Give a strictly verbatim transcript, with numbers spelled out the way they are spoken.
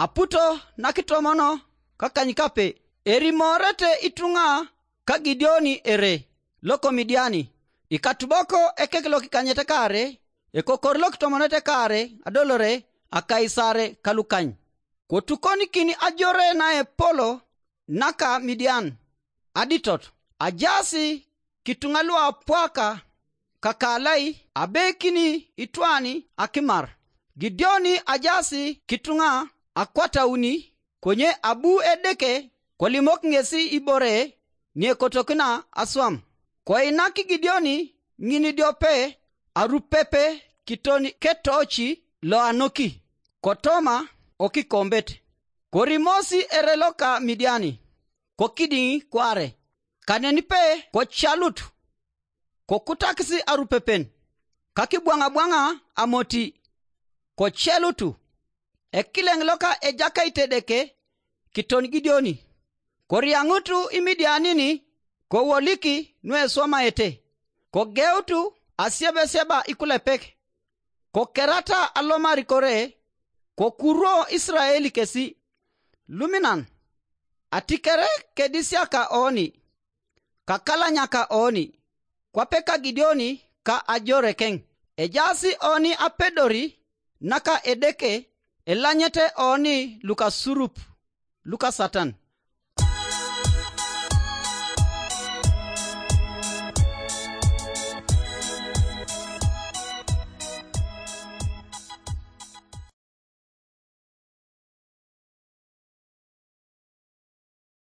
Aputo nakitomono kakanykape, erimoorete ituŋa ka Gideoni ere loko Midiani, ikatubok ekek lokikanyet kaare, ekokor lokitomonete kaare adolore akaisare kalukany. Kotukonikin ajore naepolo naka Midian, aditot, ajaas kituŋa luapwaka kakalai abekini itwani akimar. Gideoni ajaas kituŋa akwatauni, konye abu Edeke kolimok ŋesi ibore niekotokina aswam. Koinak Gideoni ŋin idiope arupepe kiton ketoci loanoki, kotoma okikombet. Korimosi ere loka Midiani, kokidiŋ kwaare, kanenipe kocalut, kokutakis arupepen, kakibwaŋabwaŋa amoti, kocelutu. Ekileŋ loka Ejakait Edeke kiton Gideoni, koriaŋutu Imidianin kowolik nueswamaete, kogeutu asiebesieba ikulepek, kokerata alomar kore, kokuruo Isirael kesi. Luminan, atikere kedisiaka oni, kakalanyaka oni, kwape ka Gideoni ka ajorekeŋ. Ejaas oni apedori naka Edeke, elanyete oni lukasurup lukasatan.